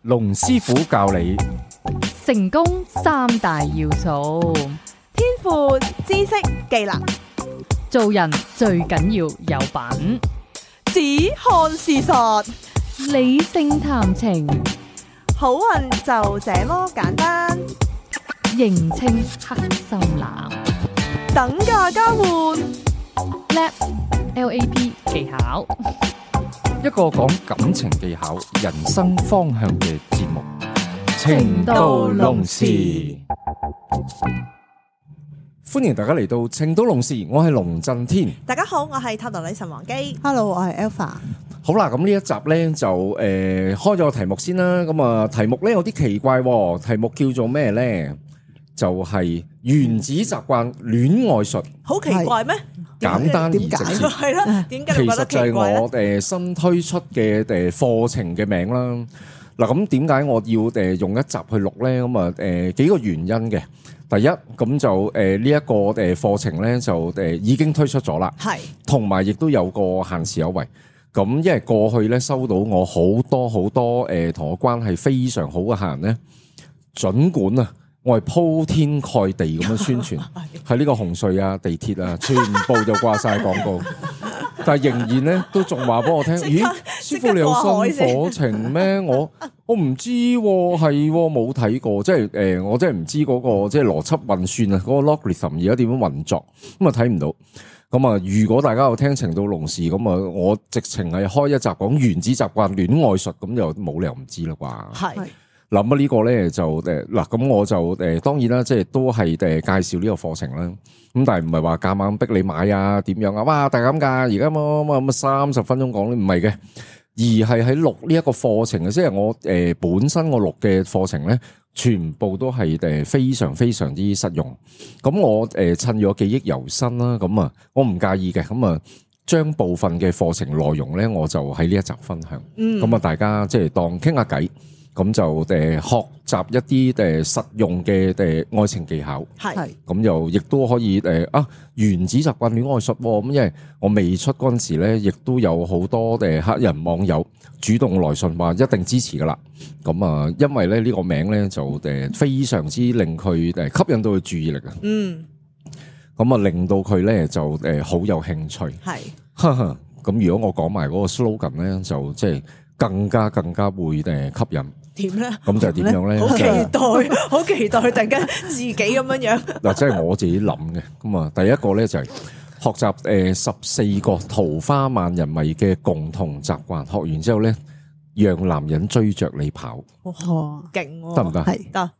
龍師傅教你成功三大要素，天賦、知識、技能，做人最緊要有品，只看事實，理性談情，好運就這麼簡單。認清黑心男，等價交換LAP 技巧，一個講感情技巧、人生方向嘅節目《情到濃時》。歡迎大家嚟到《情到濃時》，我係龍震天。大家好，我係塔羅女神王姬。 Hello， 我係 Alpha。好啦，咁呢一集呢，就開咗個題目先啦。咁啊，題目呢有啲奇怪喎，題目叫做咩呢？就係原子習慣戀愛術。好奇怪咩？簡單而直接係啦，點解你覺得其實就係奇怪咧？我新推出嘅課程嘅名啦。嗱，咁點解我要用一集去錄呢？咁啊幾個原因嘅。第一，咁就呢一個課程呢，就已經推出咗啦，係，同埋亦都有個限時優惠。咁因為過去呢，收到我好多同我關係非常好嘅客人呢，儘管啊我係鋪天蓋地咁樣宣傳喺呢個紅隧啊、地鐵啊，全部就掛晒廣告，但係仍然呢，都仲話俾我聽，咦，師傅你有新課程咩？我唔知喎，係喎，冇睇過，即係我真係唔知嗰個即係邏輯運算啊，嗰個 logarithm 而家點樣運作，咁啊睇唔到。咁啊，如果大家有聽情到濃時，咁啊，我直情係開一集講原子習慣戀愛術，咁就冇理由唔知啦啩。係。嗱，咁呢個咧就嗱，咁我就當然啦，即係都係介紹呢個課程啦。咁但係唔係話夾硬逼你買啊？點樣啊？哇，大減價！而家乜30分鐘講咧，唔係嘅，而係喺錄呢一個課程嘅，即係我本身我錄嘅課程咧，全部都係非常非常之實用。咁我趁咗記憶猶新啦，咁啊，我唔介意嘅，咁啊，將部分嘅課程內容咧，我就喺呢一集分享。咁啊，大家即係當傾下偈。咁就學習一啲實用嘅愛情技巧，係咁又亦都可以原子習慣戀愛術喎。咁因為我未出嗰陣時咧，亦都有好多客人網友主動來信話一定支持噶啦。咁啊，因為咧呢個名咧就非常之令佢吸引到佢注意力啊。咁啊令到佢咧就好有興趣。係，咁如果我講埋嗰個 slogan 咧，就即係更加會吸引。點咧？咁就係點樣咧？好期待，好期待！突然間自己咁樣樣。嗱，即係我自己諗嘅。咁啊，第一個咧就係學習14個桃花萬人迷嘅共同習慣。學完之後咧，讓男人追着你跑。哇，勁喎！得唔得？係得。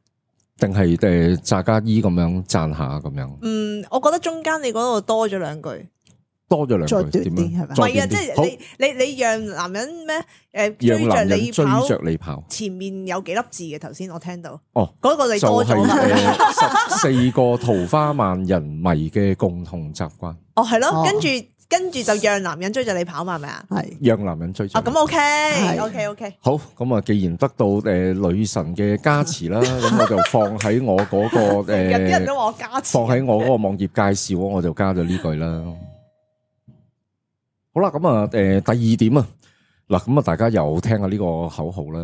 定係詐假意咁樣讚下咁樣？我覺得中間你嗰度多咗兩句。多咗兩句點樣？係咪？唔係啊，即係你讓男人咩？讓男人追着你跑。前面有幾粒字嘅頭先我聽到。哦，嗰個你多咗嘛？14個桃花萬人迷嘅共同習慣。哦，係咯，跟住就讓男人追着你跑嘛，係咪啊？係。讓男人追着。咁 OK。好，咁啊，既然得到女神嘅加持啦，咁我就放喺我嗰個有啲人都話我加持。放喺我嗰個網頁介紹，我就加咗呢句啦。好啦，咁啊，第二點啊，嗱，咁啊，大家又聽下呢個口號啦。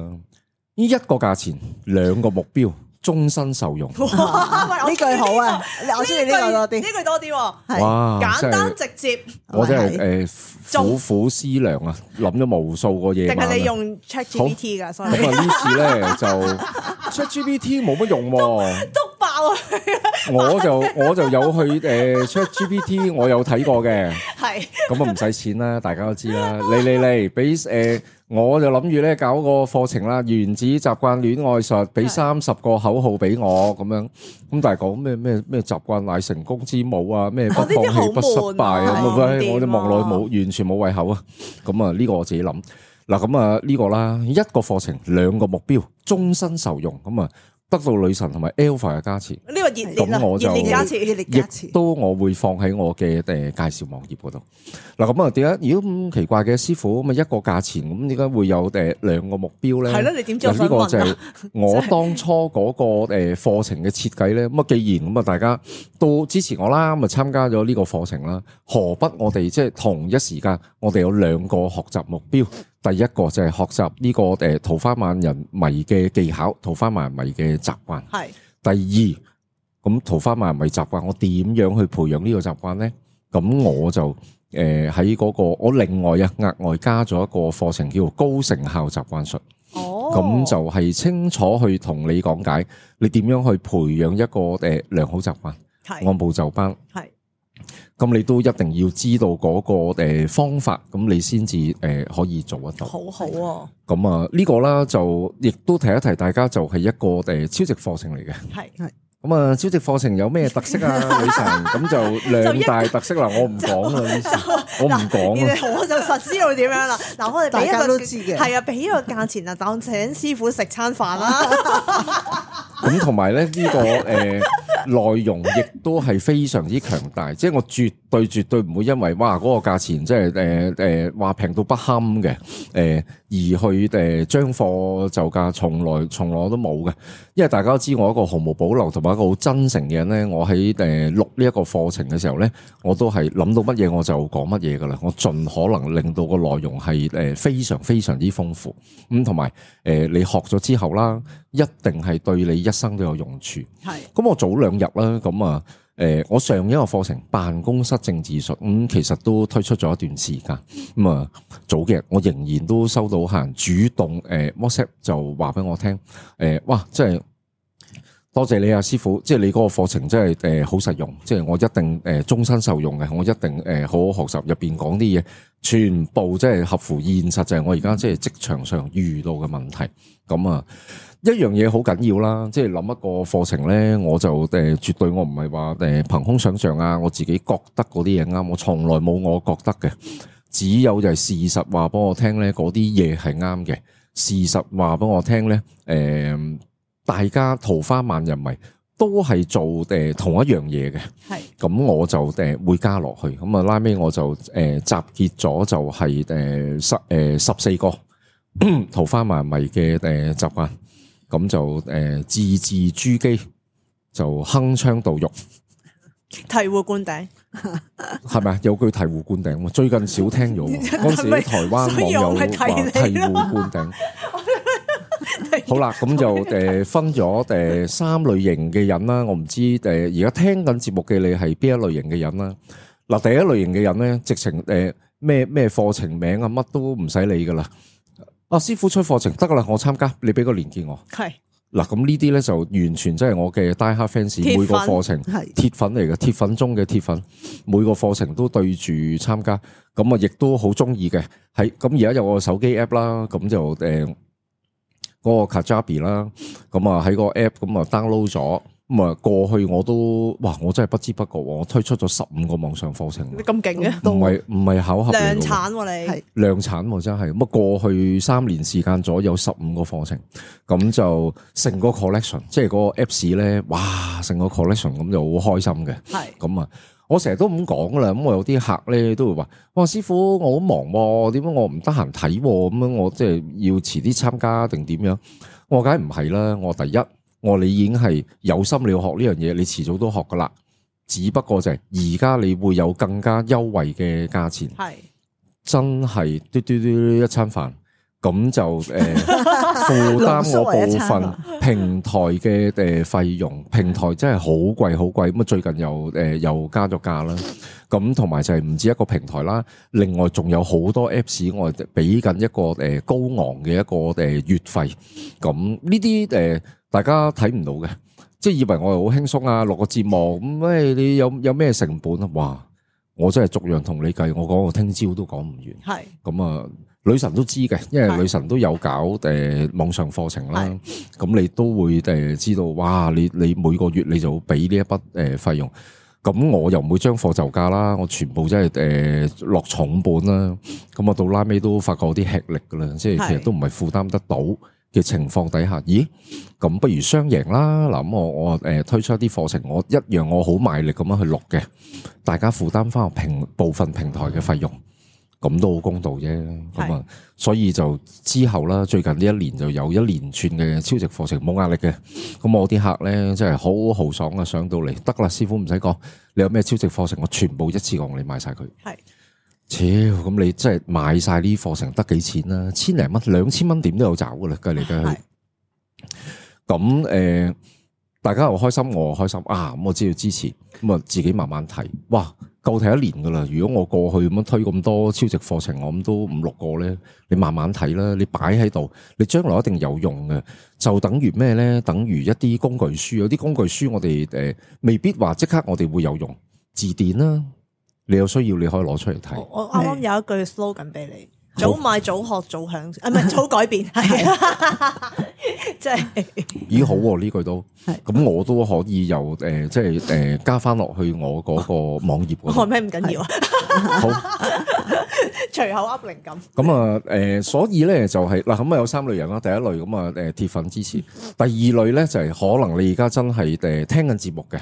呢一個價錢，兩個目標，終身受用。哇，呢句好啊！我中意呢個多啲，呢句多啲。係，哇，簡單直接。我真係苦思量啊，諗咗無數個嘢。定係你用 ChatGPT 噶？咁啊，呢次咧就 ChatGPT 冇乜用喎。爆啊！我就有去ChatGPT，我有睇過嘅。係咁啊，唔使錢啦，大家都知啦。嚟俾我就諗住咧搞個課程啦，原子習慣戀愛術，俾30個口號俾我咁樣。咁但係講咩習慣乃成功之母啊，咩不放棄不失敗啊，我哋望落去完全冇胃口啊。咁啊，呢個我自己諗。嗱，咁啊呢個啦，一個課程兩個目標，終身受用。咁啊。得到女神同埋 Alpha 嘅加持，呢個熱烈啦，熱烈加持，亦都我會放喺我嘅介紹網頁嗰度。嗱，咁啊，點解如果咁奇怪嘅師傅咁啊一個價錢，咁點解會有兩個目標咧？係咯，你點知我呢個就係我當初嗰個課程嘅設計咧。咁啊，既然咁啊，大家都支持我啦，咁啊參加咗呢個課程啦，何不我哋即係同一時間，我哋有兩個學習目標。第一個就係學習呢個桃花萬人迷嘅技巧，桃花萬人迷嘅習慣。係。第二，咁桃花萬人迷習慣，我點樣去培養呢個習慣咧？咁我就喺嗰個我另外額外加咗一個課程叫做高成效習慣術。哦，咁就係清楚去同你講解，你點樣去培養一個良好習慣，係按部就班。係。咁你都一定要知道嗰個方法，咁你先至可以做得到。好好喎。咁啊呢個啦就亦都提一提大家，就係一個超值課程嚟嘅。係。咁啊，超值課程有咩特色啊？女神咁就兩大特色啦，我唔講啦，我唔講啦。我就實知道點樣啦。嗱，我哋俾一大家個都知嘅，係啊，俾一個價錢啊，當請師傅食餐飯啦。咁同埋咧呢個內容亦都係非常之強大，即係我絕對唔會因為哇嗰個價錢即係話平到不堪嘅而去將貨就價，從來都冇嘅。因為大家都知我一個毫無保留同埋一個好真誠嘅人咧，我喺錄呢一個課程嘅時候咧，我都係諗到乜嘢我就講乜嘢噶啦，我盡可能令到個內容係非常非常之豐富。咁同埋你學咗之後啦，一定係對你一生都有用處。係。咁我早2日啦，咁啊我上一個課程辦公室政治術，其實都推出咗一段時間。咁啊早幾日我仍然都收到客人主動WhatsApp 就話俾我聽，哇，即係多謝你啊師傅，即係你嗰個課程真係好實用，即係我一定終身受用嘅，我一定好好學習入邊講啲嘢，全部即係合乎現實，就係我而家即係職場上遇到嘅問題。咁啊一樣嘢好緊要啦，即係諗一個課程咧，我就絕對我唔係話憑空想象啊，我自己覺得嗰啲嘢啱，我從來冇我覺得嘅，只有就係事實話俾我聽咧，嗰啲嘢係啱嘅。事實話俾我聽咧，大家桃花萬人迷都係做同一樣嘢嘅，係咁我就會加落去，咁啊拉尾我就集結咗就係14個桃花萬人迷嘅習慣。咁就字字珠璣，就鏗鏘到肉，醍醐灌頂，係咪啊？有句醍醐灌頂，最近少聽咗。嗰時啲台灣網友話醍醐灌頂。好啦，咁就分咗3類型嘅人啦。我唔知而家聽緊節目嘅你係邊一類型嘅人啦。嗱，第一類型嘅人咧，直情咩課程名啊，乜都唔使理噶啦。啊！師傅出課程得噶啦，我參加，你俾個連結我。係嗱，咁呢啲咧就完全真係我嘅 die hard fans，每個課程鐵粉嚟嘅，鐵粉中嘅鐵粉，每個課程都對住參加，咁啊亦都好中意嘅。係咁而家有個手機 app 啦，咁就嗰個 Kajabi 啦，咁啊喺個 app 咁啊 download 咗。咁啊，過去我都哇，我真係不知不覺，我推出咗15個網上課程。你咁勁嘅？唔係巧合嚟嘅。量產喎你係量產喎真係。咁啊，過去3年時間左右15個課程，咁就成個 collection， 即係嗰個 Apps 咧，哇，成個 collection 咁就好開心嘅。係。咁啊，我成日都咁講啦。咁我有啲客咧都會話：哇，師傅，我好忙喎，點解我唔得閒睇？咁樣我即係要遲啲參加定點樣？我梗係唔係啦。我第一。你已經係有心你要學呢樣嘢，你遲早都學噶啦。只不過就係而家你會有更加優惠嘅價錢，係真係嘟嘟嘟一餐飯，咁就負擔我部分平台嘅費用。平台真係好貴好貴，咁啊最近又加咗價啦。咁同埋就係唔止一個平台啦，另外仲有好多 Apps 我哋俾緊一個高昂嘅一個月費。咁呢啲大家睇唔到嘅，即係以為我係好輕鬆啊，錄個節目咁，你有咩成本啊？哇！我真係逐樣同你計，我講我聽朝都講唔完。係咁啊，女神都知嘅，因為女神都有搞網上課程啦。咁你都會知道，哇！你每個月你就俾呢一筆費用。咁我又唔會將貨就價啦，我全部真係落重本啦。咁我到拉尾都發覺有啲吃力噶啦，即係其實都唔係負擔得到嘅情況底下，咦？咁不如雙贏啦！嗱，咁我推出一啲課程，我一樣我好賣力咁樣去錄嘅，大家負擔翻部分平台嘅費用，咁都好公道啫。咁啊，所以就之後啦，最近呢一年就有一連串嘅超值課程，冇壓力嘅。咁我啲客咧真係好豪爽啊，上到嚟得啦，師傅唔使講，你有咩超值課程，我全部一次過你買晒佢。係。咁你真係買晒呢課程得幾錢啦？千零蚊、2000蚊點都有找噶啦，計嚟計去。咁大家又開心，我又開心啊！咁我知道支持，咁啊自己慢慢睇。哇，夠睇1年噶啦！如果我過去咁樣推咁多超值課程，我諗都5-6個咧。你慢慢睇啦，你擺喺度，你將來一定有用嘅。就等於咩咧？等於一啲工具書，有啲工具書我哋未必話即刻我哋會有用。字典啦，你有需要你可以攞出嚟睇。我啱啱有一句 slogan 俾你。早買早學早享，唔係早改變，係即係咦好喎呢句都，咁我都可以由即係加翻落去我嗰個網頁嗰度。學咩唔緊要啊，好隨口噏靈感。咁啊所以咧就係嗱咁啊有3類人啦，第一類咁啊鐵粉支持，第二類咧就係可能你而家真係聽緊節目嘅，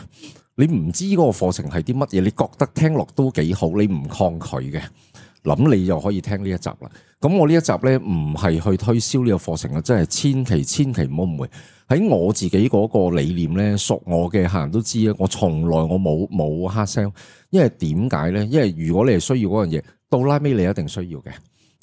你唔知嗰個課程係啲乜嘢，你覺得聽落都幾好，你唔抗拒嘅。諗你又可以聽呢一集啦。咁我呢一集咧唔係去推銷呢個課程啊，真係千祈唔好誤會。喺我自己嗰個理念咧，熟我嘅客人都知啊。我從來我冇 hard sell，因為點解咧？因為如果你係需要嗰樣嘢，到拉尾你一定需要嘅。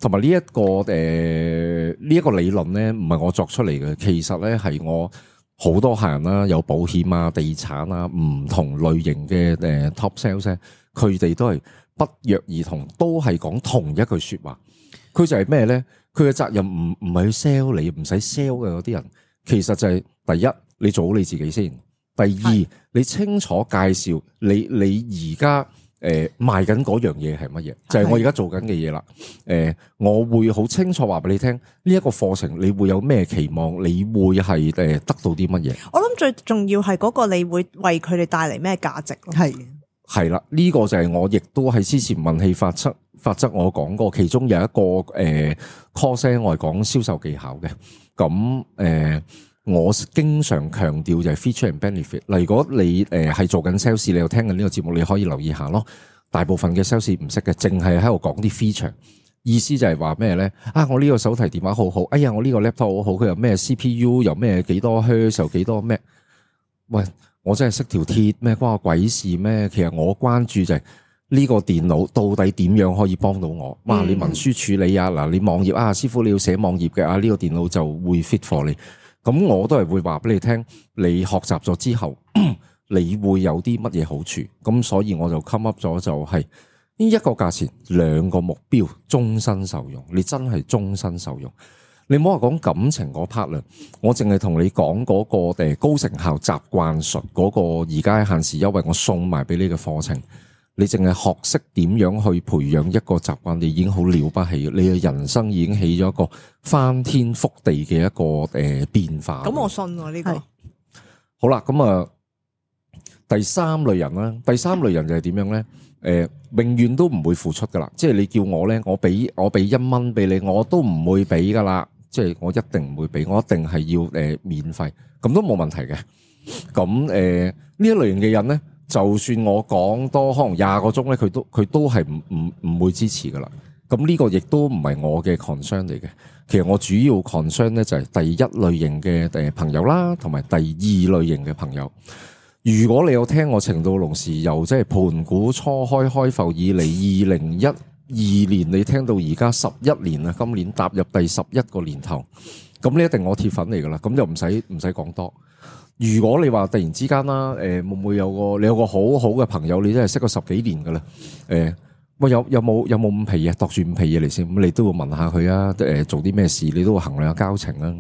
同埋呢一個呢一個理論咧，唔係我作出嚟嘅，其實咧係我好多客人啦，有保險啊、地產啊，唔同類型嘅top sales 咧，佢哋都係不約而同，都係講同一句說話。佢就係咩咧？佢嘅責任唔係去 sell 你，唔使 sell 嘅嗰啲人，其實就係第一，你做好你自己先；第二，你清楚介紹你而家賣緊嗰樣嘢係乜嘢，就係我而家做緊嘅嘢啦。我會好清楚話俾你聽，呢一個課程你會有咩期望，你會係得到啲乜嘢？我諗最重要係嗰個你會為佢哋帶嚟咩價值咯。係啦，呢個就係我亦都喺之前運氣法則我講過，其中有一個course 我係講銷售技巧嘅。咁我經常強調就係 feature and benefit。嗱，如果你係做緊 sales，你又聽緊呢個節目，你可以留意下咯。大部分嘅 sales 唔識嘅，淨係喺度講啲 feature， 意思就係話咩咧？啊，我呢個手提電話好好，哎呀，我呢個 laptop 好好，佢有咩 CPU， 有咩幾多 Hertz， 有幾多咩？喂！我真係識條鐵咩？關我鬼事咩？其實我關注就係呢個電腦到底點樣可以幫到我？哇！你文書處理啊，嗱，你網頁啊，師傅你要寫網頁嘅啊，呢個電腦就會 fit for 你。咁我都係會話俾你聽，你學習咗之後，你會有啲乜嘢好處？咁所以我就 come up 咗就係呢一個價錢，2個目標，終身受用。你真係終身受用。你唔好話講感情嗰 part 啦，我淨係同你講嗰個高成效習慣術嗰個而家限時優惠，我送埋俾你嘅課程，你淨係學識點樣去培養一個習慣，你已經好了不起，你嘅人生已經起咗一個翻天覆地嘅一個變化。咁我信喎呢個。好啦，咁啊第三類人啦，第三類人就係點樣咧？永遠都唔會付出噶啦，即係你叫我咧，我俾1蚊俾你，我都唔會俾噶啦。即係我一定唔會俾，我一定係要免費，咁都冇問題嘅。咁呢一類型嘅人咧，就算我講多可能20個鐘咧，佢都係唔會支持噶啦。咁呢個亦都唔係我嘅 concern 嚟嘅。其實我主要 concern 咧就係第一類型嘅朋友啦，同埋第二類型嘅朋友。如果你有聽我情到濃時由即係盤古初開埠以嚟2012年，你聽到而家11年啦，今年踏入第11個年頭，咁你一定我鐵粉嚟噶啦，咁就唔使講多。如果你話突然之間啦，會唔會你有個好好嘅朋友，你真係識咗10幾年噶啦，喂有冇5皮嘢，度住5皮嘢嚟先，咁你都會問下佢啊，做啲咩事，你都會衡量下交情啊，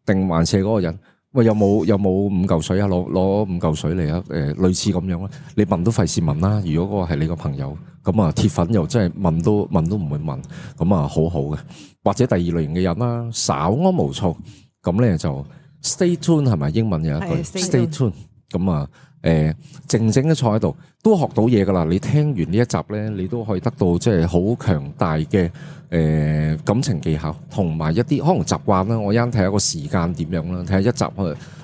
定還是嗰個人？喂，有冇5嚿水啊？攞5嚿水嚟啊！類似咁樣啦，你問都費事問啦。如果嗰個係你個朋友，咁啊鐵粉又真係問都唔會問，咁啊好好嘅。或者第二類型嘅人啦，稍安毋躁，咁咧就 stay tuned 係咪？英文有一句 stay tuned，咁啊靜靜嘅坐喺度，都學到嘢噶啦。你聽完呢一集咧，你都可以得到即係好強大嘅感情技巧，同埋一啲可能習慣啦。我啱睇下個時間點樣啦，睇下一集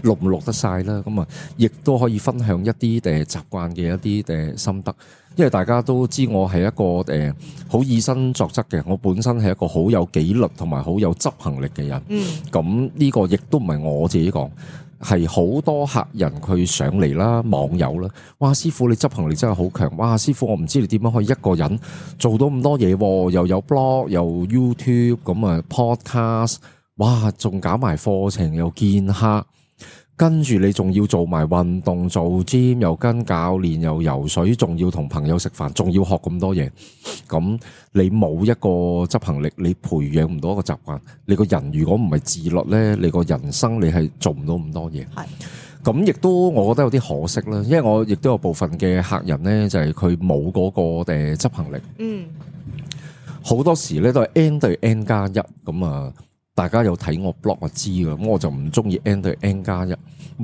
錄唔錄得晒啦。咁啊，亦都可以分享一啲習慣嘅一啲心得。因為大家都知我係一個好以身作則嘅，我本身係一個好有紀律同埋好有執行力嘅人。咁呢個亦都唔係我自己講，係好多客人佢上嚟啦，網友啦，哇師傅你執行力真係好強，哇師傅我唔知你點樣可以一個人做到咁多嘢，又有 blog 又 YouTube 咁啊 podcast， 哇仲搞埋課程又見客。跟住你仲要做埋運動做 gym， 又跟教練又游水，仲要同朋友食飯，仲要學咁多嘢。咁你冇一個執行力，你培養唔到一個習慣。你個人如果唔係自律呢，你個人生你係做唔到咁多嘢。係咁亦都我覺得有啲可惜啦，因為我亦都有部分嘅客人呢，就係佢冇嗰個執行力。好多時呢都係 N 對 N 加一咁啊。大家有睇我 blog 就知㗎，咁我就唔中意 N 對 N 加一，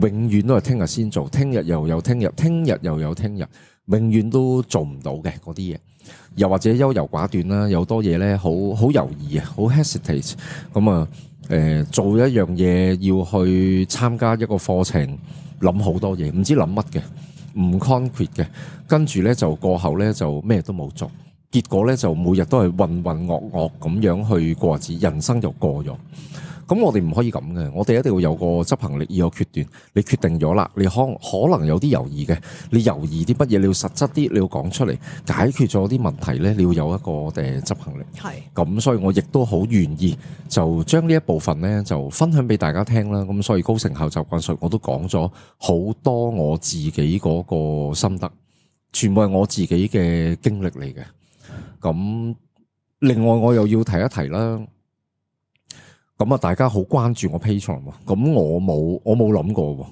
永遠都係聽日先做，聽日又有聽日，聽日又有聽日，永遠都做唔到嘅嗰啲嘢。又或者優柔寡斷啦，有多嘢咧，好猶豫啊，好 hesitate。咁啊，做一樣嘢要去參加一個課程，諗好多嘢，唔知諗乜嘅，唔 concrete 嘅，跟住咧就過後咧就咩都冇做。結果咧就每日都係渾渾噩噩咁樣去過日子，人生就過咗。咁我哋唔可以咁嘅，我哋一定要有個執行力，要有決斷。你決定咗啦，你可能有啲猶豫嘅，你猶豫啲乜嘢，你要實質啲，你要講出嚟，解決咗啲問題咧，你要有一個執行力。係咁，所以我亦都好願意就將呢一部分咧就分享俾大家聽啦。咁所以高成效習慣術我都講咗好多我自己嗰個心得，全部係我自己嘅經歷嚟嘅。咁另外我又要提一提啦，咁啊大家好關注我 Patreon 喎，咁我冇諗過喎，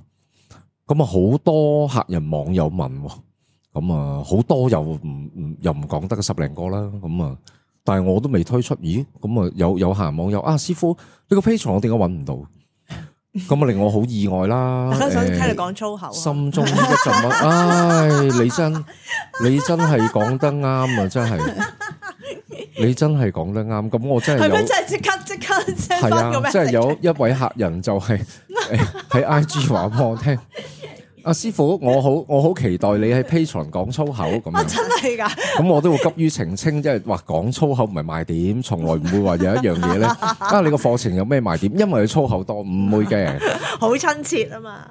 咁啊好多客人網友問喎，咁啊好多又唔講得10零個啦，咁啊但係我都未推出，咦咁啊有客人網友啊師傅呢個 Patreon 我點解揾唔到？咁啊令我好意外啦！大家想聽你講粗口，心中一陣唉，你真係講得啱啊！真係，你真係講得啱。咁我真係有，係咪真係即刻係啊！即係有一位客人就係喺 IG 話俾我聽。阿師傅，我好期待你喺 Patreon 講粗口咁樣。真係㗎！咁我都會急於澄清，即係話講粗口唔係賣點，從來唔會話有一樣嘢咧。啊，你個課程有咩賣點？因為佢粗口多，唔會嘅。好親切啊嘛！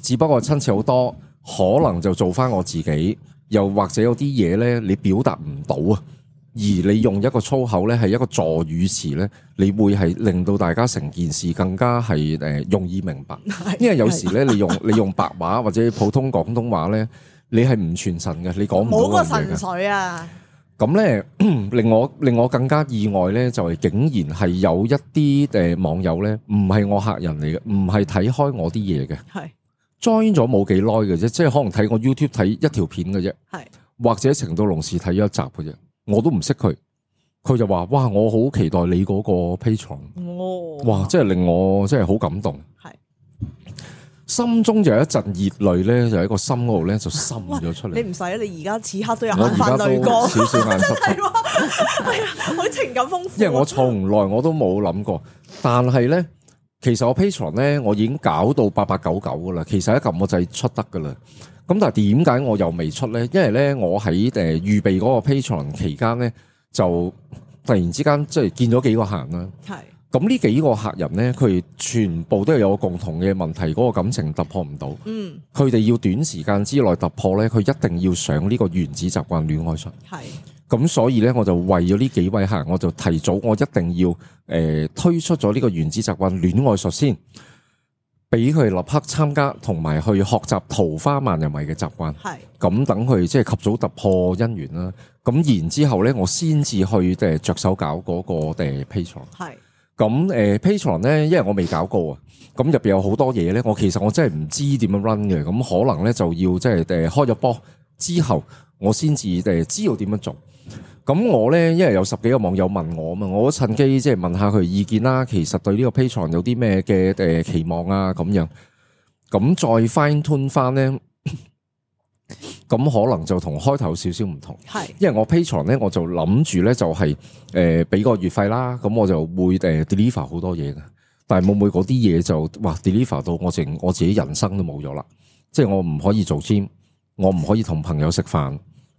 只不過親切好多，可能就做翻我自己，又或者有啲嘢咧，你表達唔到啊。而你用一個粗口咧，係一個助語詞咧，你會係令到大家成件事更加係容易明白。因為有時咧，你用白話或者普通廣東話咧，你係唔傳神嘅，你講唔到冇個神水啊！咁咧令我更加意外咧，就係竟然係有一啲網友咧，唔係我客人嚟嘅，唔係睇開我啲嘢嘅，係 join 咗冇幾耐嘅啫，即係可能睇我 YouTube 睇一條片嘅啫，係或者程度龍時睇咗一集嘅啫。我都唔識佢，佢就話：哇！我好期待你嗰個 Patreon，哇！真係令我真係好感動，係心中就有一陣熱淚咧，就喺個心嗰度咧就滲咗出嚟。你唔使，你而家此刻都有眼泛淚光，少少眼濕濕，係啊，好情感豐富。因為我從來我都冇諗過，但係咧，其實我 Patreon 咧，我已經搞到8899噶啦，其實一撳我就出得噶啦。咁但係點解我又未出咧？因為咧我喺預備嗰個 Patreon 期間咧，就突然之間即係見咗幾個客人啦。係咁呢幾個客人咧，佢哋全部都係有個共同嘅問題，嗰個感情突破唔到。嗯，佢哋要短時間之內突破咧，佢一定要上呢個原子習慣戀愛術。係咁，所以咧我就為咗呢幾位客人，我就提早我一定要推出咗呢個原子習慣戀愛術先。俾佢立刻參加，同埋去學習桃花萬人迷嘅習慣。係咁等佢即係及早突破姻緣啦。咁然之後咧，我先至去着手搞嗰個Patreon。係咁Patreon 咧，因為我未搞過啊。咁入邊有好多嘢咧，其實我真係唔知點樣 run 嘅。咁可能咧就要即係開咗波之後，我先至知道點樣做。咁我咧，因為有10幾個網友問我啊嘛，我趁機即係問下佢意見啦。其實對呢個 Patreon 有啲咩嘅期望啊咁樣，咁再 fine tune 翻咧，咁可能就同開頭少少唔同。係，因為我 Patreon 咧，我就諗住咧就係俾個月費啦，咁我就會deliver 好多嘢嘅。但係冇嗰啲嘢就哇 deliver 到我自己人生都冇咗啦。即係我唔可以做 gym， 我唔可以同朋友食飯。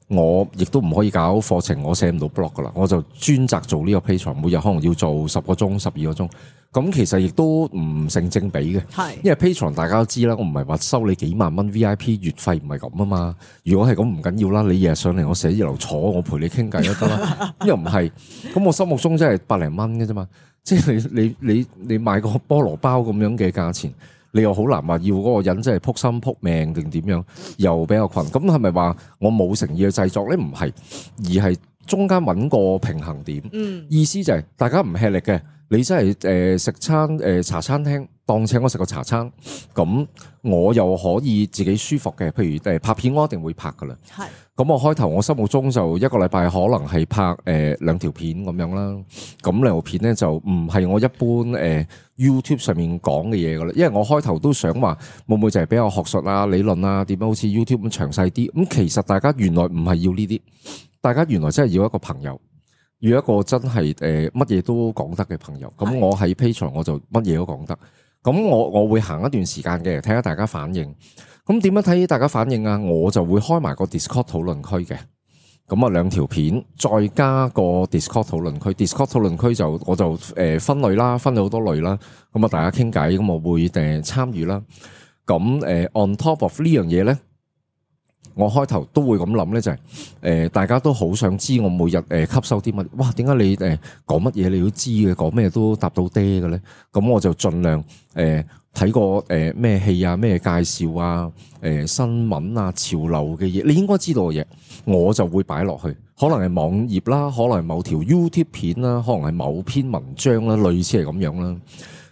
我亦都唔可以搞課程，我寫唔到 blog 噶啦，我就專責做呢個 Patreon，每日可能要做10個鐘、12個鐘。咁其實亦都唔成正比嘅，係因為 Patreon 大家都知啦，我唔係話收你幾萬蚊 VIP 月費，唔係咁啊嘛。如果係咁唔緊要啦，你日日上嚟我寫字樓坐，我陪你傾偈都得啦。又唔係，咁我心目中真係百零蚊嘅啫嘛。即係你買個菠蘿包咁樣嘅價錢，你又好難話要嗰個人真係撲心撲命定點樣，又比較困。咁係咪話我冇誠意嘅製作咧？唔係，而係中間揾個平衡點。意思就係大家唔吃力嘅。你真係食餐茶餐廳，當請我食個茶餐，咁我又可以自己舒服嘅。譬如拍片，我一定會拍噶啦。係，咁我開頭我心目中就一個禮拜可能係拍2條片咁樣啦。咁2條片咧就唔係我一般YouTube 上面講嘅嘢噶啦。因為我開頭都想話會唔會就係比較學術啊、理論啊，點樣好似 YouTube 咁詳細啲。咁其實大家原來唔係要呢啲，大家原來真係要一個朋友。要一個真係乜嘢都講得嘅朋友，咁我喺 Patreon 我就乜嘢都講得，咁我會行一段時間嘅，睇下大家反應。咁點樣睇大家反應啊？我就會開埋個 Discord 討論區嘅，咁啊2條片再加個 Discord 討論區，Discord 討論區我就分類啦，分咗好多類啦，咁啊大家傾偈，咁我會參與啦。咁on top of 呢樣嘢咧。我開頭都會咁諗咧，就係大家都好想知我每日吸收啲乜。哇，點解你講乜嘢你都知嘅，講咩都答到爹嘅咧？咁我就盡量睇過咩戲啊、咩介紹啊、新聞啊、潮流嘅嘢，你應該知道嘅嘢，我就會擺落去。可能係網頁啦，可能係某條 YouTube 片啦，可能係某篇文章啦，類似係咁樣啦。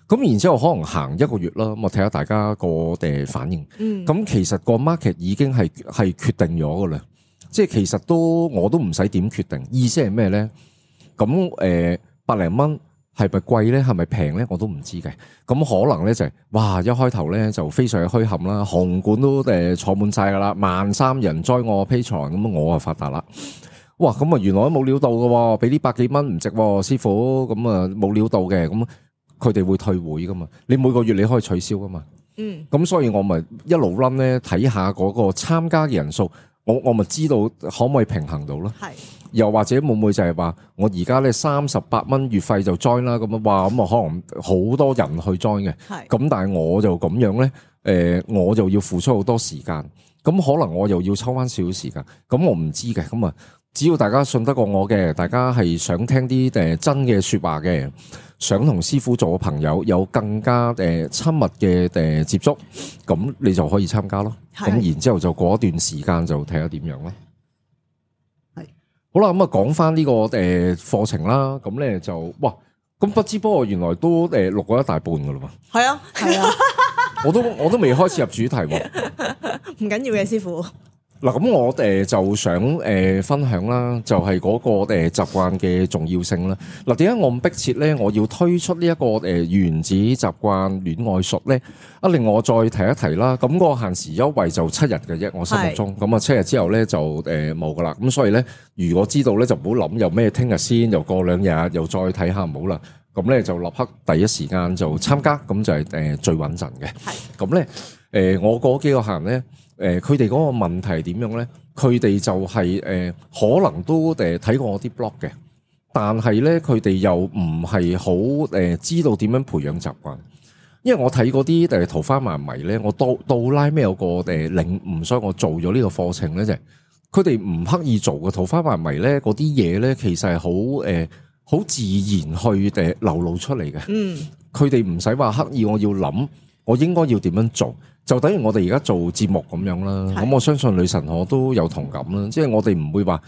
咁然之後可能行1個月啦，咁我睇下大家個反應。咁其實個 market 已經係決定咗噶啦，即係其實我都唔使點決定。意思係咩咧？咁百零蚊係咪貴咧？係咪平咧？我都唔知嘅。咁可能咧就係哇，一開頭咧就非常墟冚啦，紅館都坐滿晒噶啦，13,000人 join我 Patreon，咁我啊發達啦。哇，咁啊原來都冇料到嘅，俾呢100幾蚊唔值，師傅，咁啊冇料到嘅咁。佢哋會退會噶嘛？你每個月你可以取消噶嘛？咁所以我咪一路 run 咧，睇下嗰個參加嘅人數，我咪知道可唔可以平衡到咯？係，又或者會唔會就係話我而家咧38蚊月費就 join 啦？咁啊，哇，咁啊可能好多人去 join 嘅，係，咁但係我就咁樣咧，我就要付出好多時間，咁可能我又要抽翻少少時間，咁我唔知嘅，咁啊。只要大家信得過我嘅，大家係想聽啲真嘅說話嘅，想同師傅做個朋友，有更加親密嘅接觸，咁你就可以參加咯。咁然之後就過一段時間就睇下點樣咯。係好啦，咁啊講翻呢個課程啦，咁咧就哇，咁不知不覺原來都錄過一大半噶啦喎。係啊，係啊，我都未開始入主題喎。唔緊要嘅，師傅。嗱，咁我就想分享啦，就係嗰個習慣嘅重要性啦。嗱，點解我咁迫切咧？我要推出呢一個原子習慣戀愛術咧？另外我再提一提啦。咁個限時優惠就7日嘅啫，我心目中。咁啊7日之後咧就冇噶啦。咁所以咧，如果知道咧就唔好諗又咩聽日先，又過2日又再睇下唔好啦。咁咧就立刻第一時間就參加，咁就係最穩陣嘅。係。咁咧我嗰幾個客人咧。佢哋嗰個問題係點樣咧？佢哋就係可能都睇過我啲 blog 嘅，但係咧佢哋又唔係好知道點樣培養習慣。因為我睇嗰啲桃花迷迷咧，我到拉尾有個領悟，所以我做咗呢個課程咧，就係佢哋唔刻意做嘅桃花迷迷咧，嗰啲嘢咧其實係好自然去流露出嚟嘅。佢哋唔使話刻意，我要諗我應該要點樣做。就等於我哋而家做節目咁樣啦，咁我相信女神我都有同感啦，即係我哋唔會話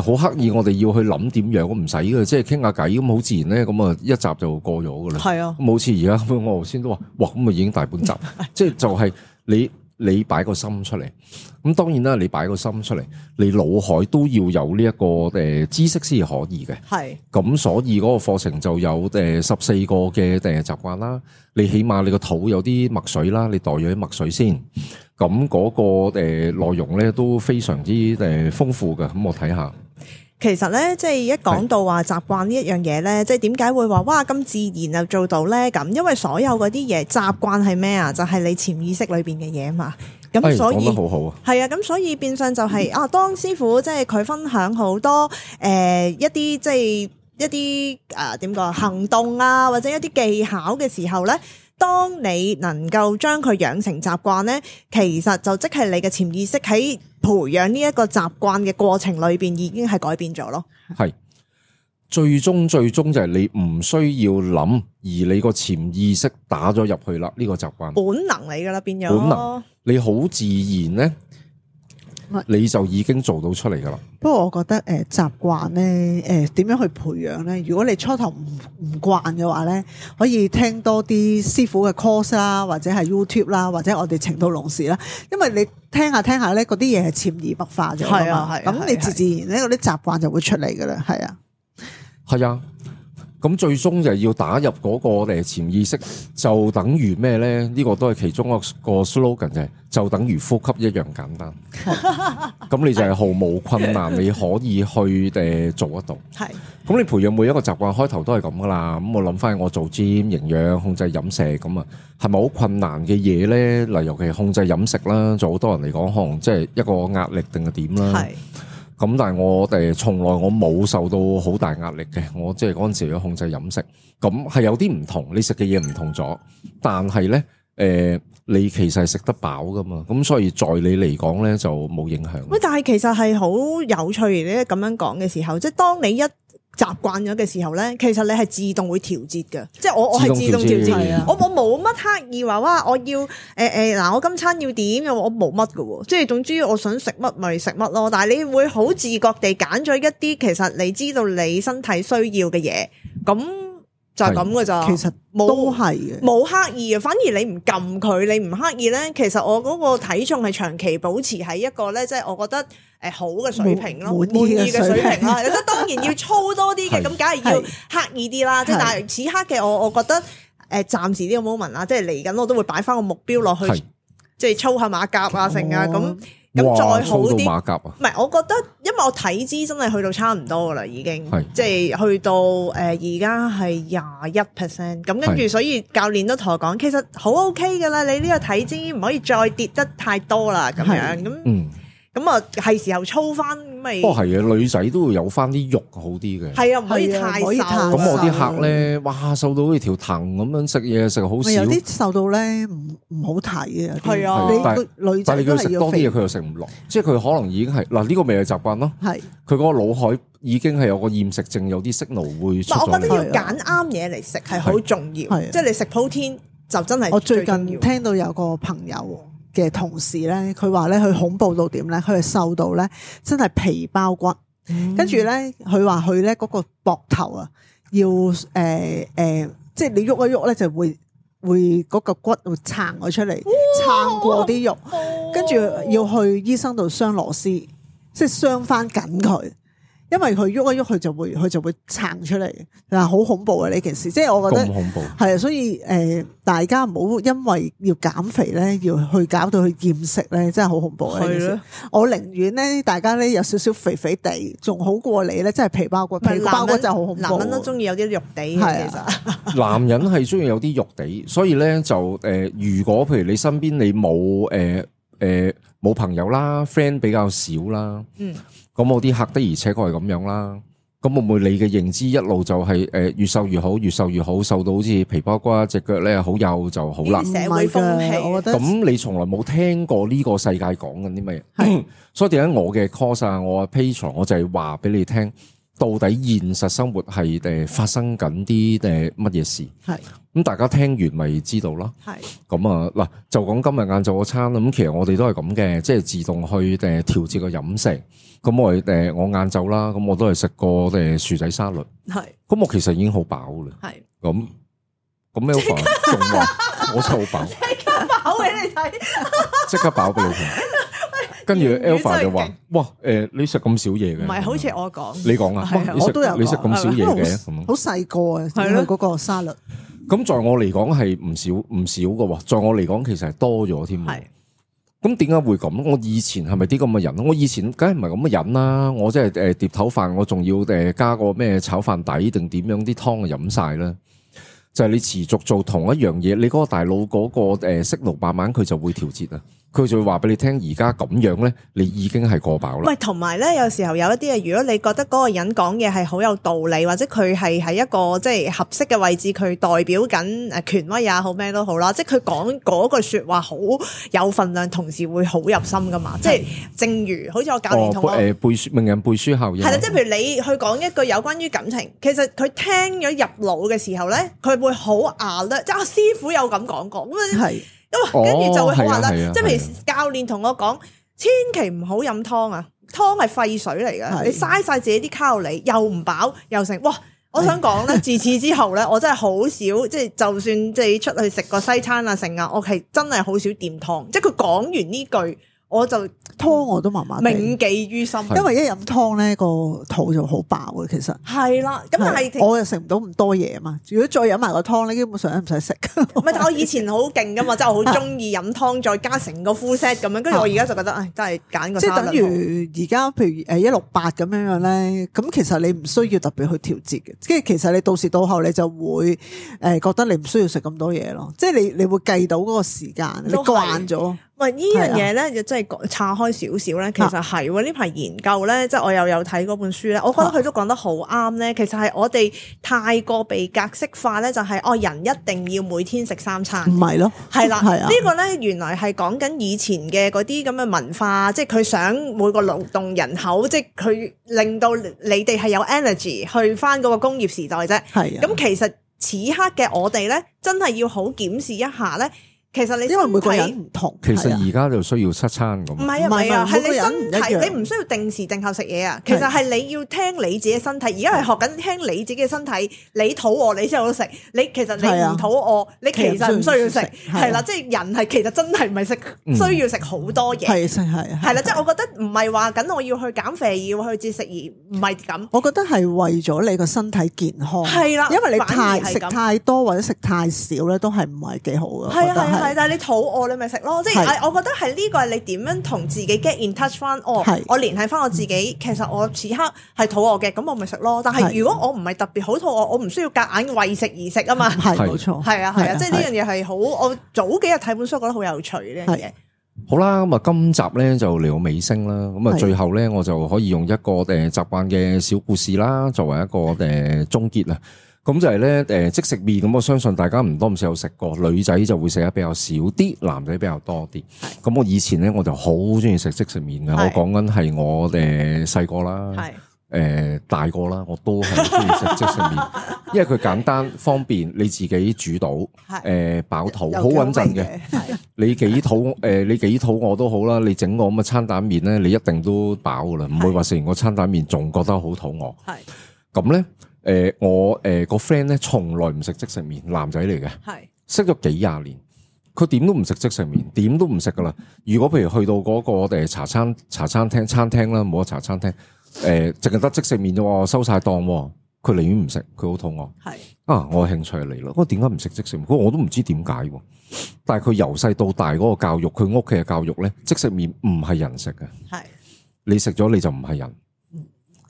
好刻意，我哋要去諗點樣，我唔使嘅，即係傾下偈咁好自然咧，咁啊一集就過咗噶啦。係啊，咁好似而家我頭先都話，哇咁啊已經大半集，即係就係你擺個心出嚟，咁當然啦，你擺個心出嚟，你腦海都要有呢一個知識先可以嘅。係，咁所以嗰個課程就有14個嘅習慣啦。你起碼你個肚有啲墨水啦，你袋咗啲墨水先。咁嗰個內容咧都非常之豐富嘅。咁我睇下。其實咧，即係一講到話習慣呢一樣嘢咧，即係點解會話哇咁自然就做到咧？咁因為所有嗰啲嘢習慣係咩啊？就係你潛意識裏邊嘅嘢啊嘛。咁所以講得好好啊。係啊，咁所以變相就係當師傅即係佢分享好多一啲即係一啲點講行動啊，或者一啲技巧嘅時候咧。當你能夠將佢養成習慣咧，其實就即係你嘅潛意識喺培養呢一個習慣嘅過程裏邊已經係改變咗咯。係最終就係你唔需要諗，而你個潛意識打咗入去啦，呢個習慣本能嚟噶啦，變咗本能，你好自然咧。你就已經做到出嚟噶啦。不過我覺得習慣咧點樣去培養咧？如果你初頭唔慣嘅話咧，可以聽多啲師傅嘅 course 啦，或者係 YouTube 啦，或者我哋情到濃時啦。因為你聽下咧，嗰啲嘢係潛移默化咗㗎嘛。咁你自然咧嗰啲習慣就會出嚟噶啦。係啊，係啊。咁最終就係要打入嗰個潛意識，就等於咩咧？呢個都係其中一個 slogan 就等於呼吸一樣簡單。咁你就係毫無困難，你可以去做得到。係。咁你培養每一個習慣開頭都係咁噶啦。咁我諗翻我做 gym 營養控制飲食咁啊，係咪好困難嘅嘢咧？嗱，尤其係控制飲食啦，就好多人嚟講可能即係一個壓力定係點啦。係。咁但係我哋從來我冇受到好大壓力嘅，我即係嗰陣時要控制飲食，咁係有啲唔同，你食嘅嘢唔同咗，但係咧你其實係食得飽噶嘛，咁所以在你嚟講咧就冇影響。喂，但係其實係好有趣嘅，咁樣講嘅時候，即係當你一習慣咗嘅時候咧，其實你係自動會調節嘅，即係我係自動調節，我冇乜刻意話哇，我要嗱，我今餐要點，我冇乜嘅，即係總之我想食乜咪食乜咯。但係你會好自覺地揀咗一啲其實你知道你身體需要嘅嘢，咁就係咁嘅咋。其實都係嘅，冇刻意啊。反而你唔撳佢，你唔刻意咧，其實我嗰個體重係長期保持喺一個咧，即係我覺得。好嘅水平咯，滿意嘅水平啦。咁當然要操多啲嘅，咁梗係要刻意啲啦。即係但係此刻嘅我覺得暫時呢個 moment 啦，即係嚟緊我都會擺翻個目標落去，即係操下馬甲啊成啊咁再好啲。馬甲啊？唔係，我覺得因為我體脂真係去到差唔多噶啦，已經即係去到而家係21%。咁跟住所以教練都同我講，其實好 OK 噶啦，你呢個體脂唔可以再跌得太多啦，咁樣咁。咁啊，係時候操翻咪？不過係啊，女仔都會有翻啲肉好啲嘅。係啊，唔可以太瘦。咁我啲客咧，哇，瘦到好似條藤咁樣，食嘢食好少。有啲瘦到咧唔好睇嘅。係啊，女仔都係要肥。但係你叫佢食多啲嘢，佢又食唔落，即係佢可能已經係嗱呢個未係習慣咯。係佢嗰個腦海已經係有個厭食症，有啲signal會出咗嚟。我覺得要揀啱嘢嚟食係好重要。即係你食protein就真係。我最近聽到有個朋友嘅同事咧，佢話咧佢恐怖到點咧？佢係瘦到咧，真係皮包骨，跟住咧佢話佢咧嗰個膊頭啊，要即係你喐一喐咧，就會嗰個骨會撐咗出嚟，撐過啲肉，跟住要去醫生度鑲螺絲，即係鑲翻緊佢。因為佢喐一喐，佢就會撐出嚟，嗱好恐怖啊！呢件事，即係我覺得咁恐怖係啊，所以大家唔好因為要減肥咧，要去搞到去厭食咧，真係好恐怖啊！呢件事，我寧願咧，大家咧有少少肥肥地，仲好過你咧，真係皮包骨，皮包骨就好恐怖。男人都中意有啲肉地嘅，其實男人係中意有啲肉地，所以咧就如果譬如你身邊你冇朋友啦 ，friend 比較少啦，咁我啲客的而且確係咁樣啦。咁會唔會你嘅認知一路就係越瘦越好，越瘦越好，瘦到好似皮包骨，隻腳咧好幼就好啦。社會風氣，我覺得咁你從來冇聽過呢個世界講緊啲乜嘢？所以點解我嘅 course 啊，我嘅 Patreon，我就係話俾你聽，到底現實生活係發生緊啲乜嘢事？係咁大家聽完咪知道咯。係咁啊嗱，就講今日晏晝嗰餐啦。咁其實我哋都係咁嘅，即係自動去調節個飲食。咁我晏晝啦，咁我都係食個薯仔沙律。係咁我其實已經好飽啦。係咁 Alpha 仲話我真係好飽，即刻飽俾你睇，即刻飽俾你睇。跟住 Alpha 就話：哇，你食咁少嘢嘅？唔係，好似我講，你講啊，我都有你食咁少嘢嘅，咁好細個啊，係咯，嗰個沙律。咁在我嚟講係唔少嘅喎，在我嚟講其實係多咗添。係咁點解會咁？我以前係咪啲咁嘅人？我以前梗係唔係咁嘅人啦。我即係碟頭飯，我仲要加個咩炒飯底定點樣啲湯就飲晒啦。就係你持續做同一樣嘢，你嗰個大腦嗰個息怒慢慢佢就會調節啊。佢就會話俾你聽，而家咁樣咧，你已經係過飽啦。喂，同埋咧，有時候有一啲嘢，如果你覺得嗰個人講嘢係好有道理，或者佢係喺一個即係合適嘅位置，佢代表緊權威也好咩都好啦，即係佢講嗰句説話好有分量，同時會好入心噶嘛。即係正如好似我教練同我背書名人背書效應。係啦，即係譬如你去講一句有關於感情，其實佢聽咗入腦嘅時候咧，佢會好alert，即係師傅有咁講過咁係。跟住就會好話啦，即係譬如係教練同我講，千祈唔好飲湯啊，湯係廢水嚟嘅，你嘥晒自己啲卡路里，又唔飽又成。哇！我想講咧，自此之後咧，我真係好少，即係就算即係出去食個西餐啊成啊，我係真係好少掂湯。即係佢講完呢句，我就湯我都麻麻地，銘記於心。因為一飲湯咧個肚就好飽嘅，其實係啦。咁但係我又食唔到咁多嘢啊嘛。如果再飲埋個湯咧，基本上都唔使食。唔係，但我以前好勁噶嘛，即係我好中意飲湯，再加成個 full set 咁樣。跟住我而家就覺得，唉，真係揀個即係等於而家譬如168咁樣樣咧，咁其實你唔需要特別去調節嘅，即係其實你到時到後你就會覺得你唔需要食咁多嘢咯，即係你會計到嗰個時間，你慣咗。喂，呢樣嘢咧，就真係岔開少少咧。其實係喎，呢排研究咧，即係我又有睇嗰本書咧，我覺得佢都講得好啱咧。其實係我哋太過被格式化咧，就係人一定要每天食3餐，唔係咯，係啦，係啊，呢個咧原來係講緊以前嘅嗰啲咁嘅文化，即係佢想每個勞動人口，即係佢令到你哋係有 energy 去翻嗰個工業時代啫。係啊，咁其實此刻嘅我哋咧，真係要好檢視一下咧。其實你因為每個人唔同，其實而家就需要7餐咁。唔係啊，係你身體，你你唔需要定時定候食嘢啊。其實係你要聽你自己身體，而家係學緊聽你自己嘅身體。你肚餓你先有得食，你其實你唔肚餓，你其實唔需要食。係啦，即係人係其實真係唔係需要食好多嘢。係啦，即係我覺得唔係話緊我要去減肥要去節食而唔係咁。我覺得係為咗你個身體健康。係啦，因為你食太多或者食太少咧，都係唔係幾好嘅。係啊。係，但係你肚餓你咪食咯，即係我覺得係呢個係你點樣同自己 get in touch 翻，我聯繫翻我自己，其實我此刻係肚餓嘅，咁我咪食咯。但係如果我唔係特別好肚餓，我唔需要夾硬為食而食啊嘛。係冇錯，係啊，即係呢樣嘢係好。我早幾日睇本書覺得好有趣呢樣嘢。好啦，咁啊，今集咧就嚟到尾聲啦。咁啊，最後咧我就可以用一個習慣嘅小故事啦，作為一個終結啦。咁就係咧，即食麵咁，我相信大家唔多唔少有食過，女仔就會食得比較少啲，男仔比較多啲。咁我以前咧我就好中意食即食麵嘅，我講緊係我細個啦，大個啦，我都係中意食即食麵，因為佢簡單方便，你自己煮到，飽肚，好穩陣嘅。你幾肚餓都好啦，你整個咁嘅餐蛋麵咧，你一定都飽噶啦，唔會話食完個餐蛋麵仲覺得好肚餓。咁咧。我個 friend 咧從來唔食即食麵，男仔嚟嘅，識咗幾廿年，佢點都唔食即食麵，點都唔食噶啦。如果譬如去到嗰個茶餐廳啦，冇得茶餐廳，淨係得即食麵啫喎，收晒檔，佢寧願唔食，佢好肚餓。我有興趣嚟咯，我點解唔食即食麵？我都唔知點解，但係佢由細到大嗰個教育，佢屋企嘅教育咧，即食麵唔係人食嘅，你食咗你就唔係人。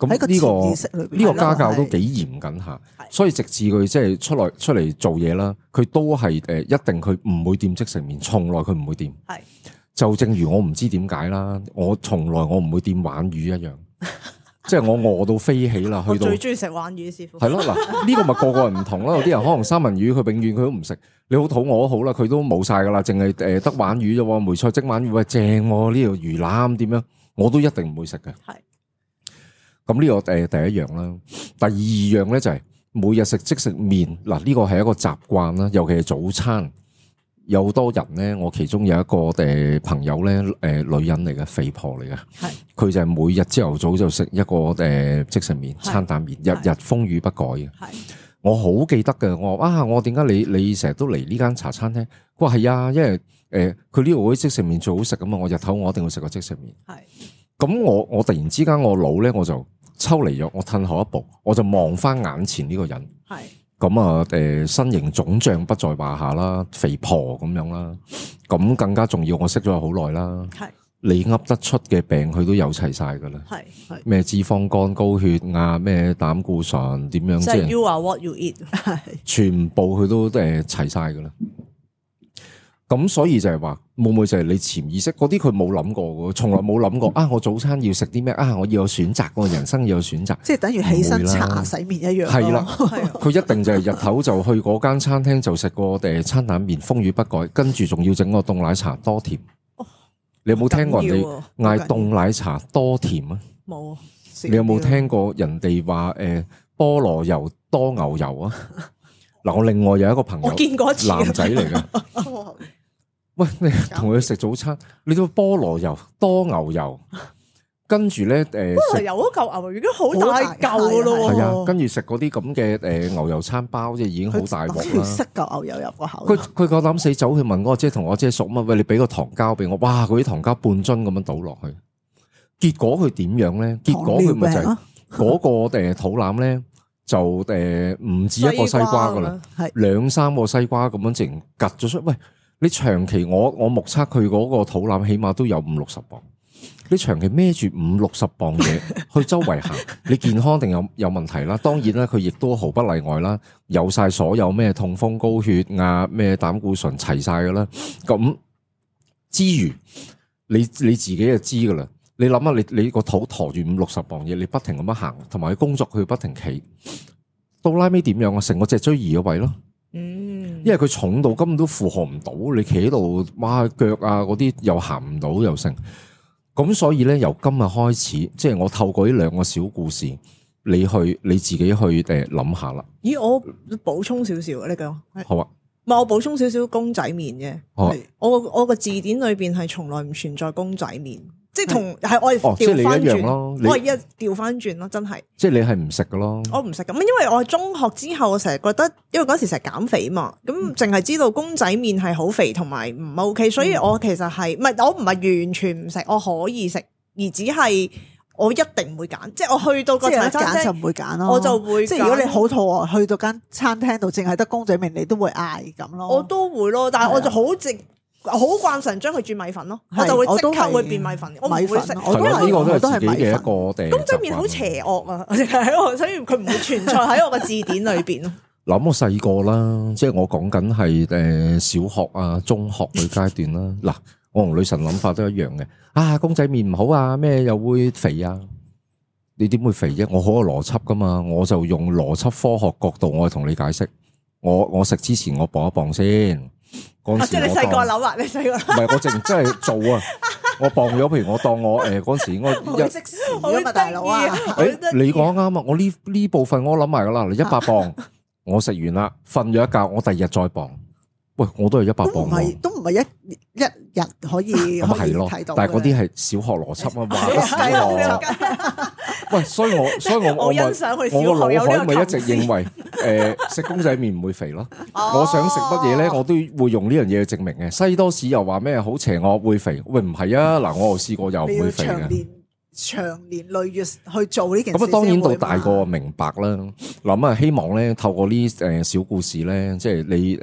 咁呢個家教都幾嚴謹下，所以直至佢即係出嚟做嘢啦，佢都係一定佢唔會掂即食麵，從來佢唔會掂。就正如我唔知點解啦，我從來我唔會掂鯇魚一樣，即係我餓到飛起啦，去到最中意食鯇魚師傅。係咯，嗱呢個咪個人唔同啦，有啲人可能三文魚佢永遠佢都唔食，你好肚餓都好啦，佢都冇晒噶啦，淨係得鯇魚啫喎，梅菜蒸鯇魚喂正喎，呢條魚腩點樣，我都一定唔會食嘅。咁呢個第一樣啦，第二樣咧就係每日食即食麵，嗱呢個係一個習慣啦，尤其係早餐，有好多人咧，我其中有一個朋友咧，女人嚟嘅，肥婆嚟嘅，佢就係每日朝頭早就食一個即食麵餐蛋麵，日日風雨不改嘅。我好記得嘅，我話我點解你成日都嚟呢間茶餐廳？佢話係啊，因為佢呢度嗰啲即食麵最好食咁啊，我日頭我一定會食個即食麵。咁我突然之間我腦咧我就抽離咗，我褪後一步，我就望翻眼前呢個人。咁啊身形腫脹不在話下啦，肥婆咁樣啦，咁更加重要，我識咗佢好耐啦。係你噏得出嘅病，佢都有齊晒噶啦。係咩脂肪肝、高血壓、咩膽固醇，點樣即係 you are what you eat，全部佢都齊晒噶啦。咁所以就係話，會唔會就係你潛意識嗰啲佢冇諗過嘅，從來冇諗過啊！我早餐要食啲咩啊？我要有選擇，我人生要有選擇，即係等於起身刷牙洗面一樣。係啦，佢一定就係日頭就去嗰間餐廳就食個餐蛋麵，風雨不改，跟住仲要整個凍奶茶多甜。你有冇聽過人哋嗌凍奶茶多甜啊？冇。你有冇聽過人哋話菠蘿油多牛油啊？嗱，我另外有一個朋友，我見過一次男仔嚟嘅。喂，你同佢食早餐，你都菠蘿油多牛油，跟住咧菠蘿油嗰嚿牛油已經好大嚿咯喎。係啊，跟住食嗰啲咁嘅牛油餐包，即係已經好大鑊啦。塞嚿牛油入個口。佢夠膽死走去問我姐，同我姐熟乜？喂，你俾個糖膠俾我，哇！嗰啲糖膠半樽咁樣倒落去，結果佢點樣咧？結果佢咪就係嗰個肚腩咧，就唔止一個西瓜噶啦，係2-3個西瓜咁樣直情趌咗出。喂！你長期我目測佢嗰個肚腩起碼都有50-60磅，你長期孭住50-60磅嘢去周圍行，你健康定有問題啦？當然啦，佢亦都毫不例外啦，有晒所有咩痛風、高血壓、咩膽固醇齊晒噶啦。咁之餘，你自己就知噶啦。你諗下，你個肚馱住50-60磅嘢，你不停咁樣行，同埋佢工作佢不停企，到拉尾點樣啊？成個脊椎移咗位咯。因為佢重到根本都負荷唔到，你企喺度，哇腳啊嗰啲又行唔到又成，咁所以咧由今日開始，即係我透過呢2個小故事，你自己去諗下啦。咦，我補充少少，你講好啊。唔係我補充少少公仔麵嘅，我個字典裏邊係從來唔存在公仔麵。即係同係我哋調翻轉咯，我係一調翻轉咯，真係。即係你係唔食嘅咯？我唔食咁，因為我中學之後，我成日覺得，因為嗰時成日減肥嘛，咁淨係知道公仔麵係好肥同埋唔 OK，所以我其實係唔係我唔係完全唔食，我可以食，而只係我一定唔會揀，即係我去到個餐廳就唔會揀咯，我就會即係如果你好肚餓，去到間餐廳度淨係得公仔麵，你都會嗌咁咯。我都會咯，但係我就好慣常將佢轉米粉咯，我就會即刻會變米粉，我唔會食。係咯，呢個都係自己嘅一個公仔麵好邪惡啊，所以佢唔會存在喺我個字典裏邊咯。諗我細個啦，即係我講緊係小學啊、中學嘅階段啦。嗱，我同女神諗法都一樣嘅。啊，公仔麵唔好啊，咩又會肥啊？你點會肥啫？我好有邏輯噶嘛，我就用邏輯科學角度，我去同你解釋。我食之前我磅一磅先。即係你細個諗啊，你細個唔係我淨真係做啊！我磅咗，譬如我當我嗰時應該食屎啊嘛，大佬啊！你講啱啊！我呢部分我諗埋噶啦，100磅，我食完啦，瞓咗一覺，我第二日再磅。喂，我都係100磅，都唔係一日可以咁係咯，但係嗰啲係小學邏輯啊嘛。喂，所以我欣賞佢小學我個腦海咪一直認為食公仔麵唔會肥咯。我想食乜嘢咧，我都會用呢樣嘢去證明嘅。西多士又話咩好邪惡會肥？喂，唔係啊！嗱，我又試過又唔會肥嘅。長年累月去做呢件事，咁啊，當然到大個明白啦。諗啊，希望咧透過呢小故事咧，即係你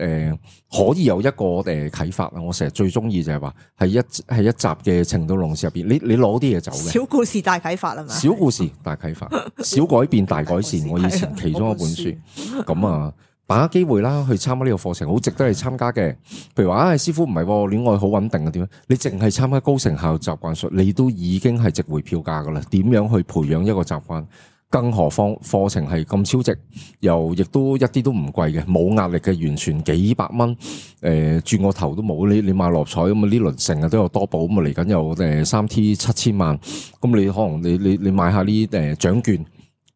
可以有一個啟發啊！我成日最中意就係話係一集嘅情到濃時入邊，你攞啲嘢走嘅小故事大啟發係嘛？小故事大啟發，小改變大改善。我以前其中一本書咁啊。把握機會啦，去參加呢個課程，好值得你參加嘅。譬如話，師傅唔係戀愛好穩定嘅點樣？你淨係參加高成效習慣術，你都已經係值回票價噶啦。點樣去培養一個習慣？更何況課程係咁超值，又亦都一啲都唔貴嘅，冇壓力嘅，完全幾百蚊，轉個頭都冇。你買六合彩咁啊，呢輪成日都有多寶咁啊，嚟緊有3T 7000萬，咁你可能你買下呢啲獎券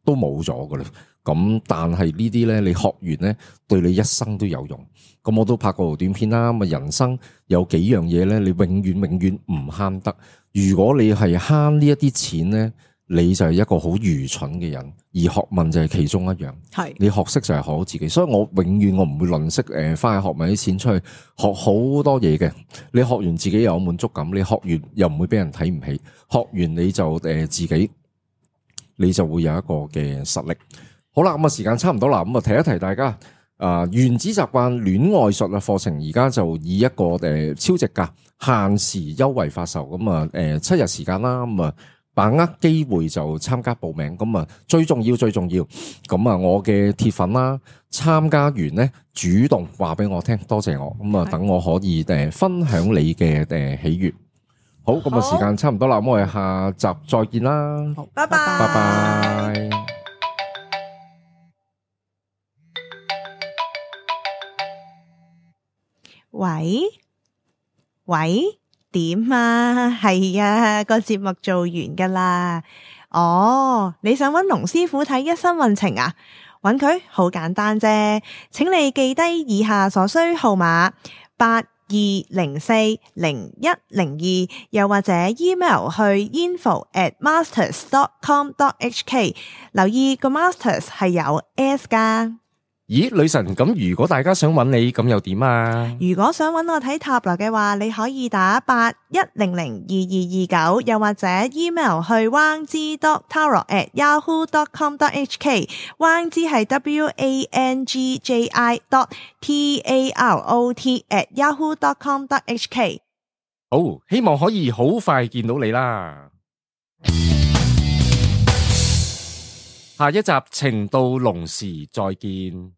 都冇咗噶啦。咁但係呢啲咧，你學完咧，對你一生都有用。咁我都拍過短片啦。咁啊，人生有幾樣嘢咧，你永遠唔慳得。如果你係慳呢一啲錢咧，你就係一個好愚蠢嘅人。而學問就係其中一樣。係你學識就係學好自己。所以我永遠我唔會吝嗇花去學問啲錢出去學好多嘢嘅。你學完自己又有滿足感，你學完又唔會俾人睇唔起。學完你就自己，你就會有一個嘅實力。好啦，咁啊時間差唔多啦，咁啊提一提大家。原子習慣戀愛術課程而家就以一個超值價限時優惠發售，咁啊7日時間啦，咁啊把握機會就參加報名，咁啊最重要，咁啊我嘅鐵粉啦，參加完咧主動話俾我聽，多謝我，咁啊等我可以分享你嘅喜悅。好，咁啊時間差唔多啦，咁我哋下集再見啦，好，拜拜，拜拜。喂，點啊？係啊，個節目做完噶啦。哦，你想揾龍師傅睇一生運程啊？揾佢好簡單啫，請你記低以下所需號碼82040102，又或者 email 去 info@masters.com.hk， 留意個 masters 係有 S 噶。咦，女神，咁如果大家想揾你，咁又點啊？如果想揾我睇塔羅嘅話，你可以打81002229，又或者 email 去 wangji.tarot@yahoo.com.hk， wangji 係 WANGJI.TAROT@yahoo.com.hk。 好，希望可以好快見到你啦。下一集情到濃時再見。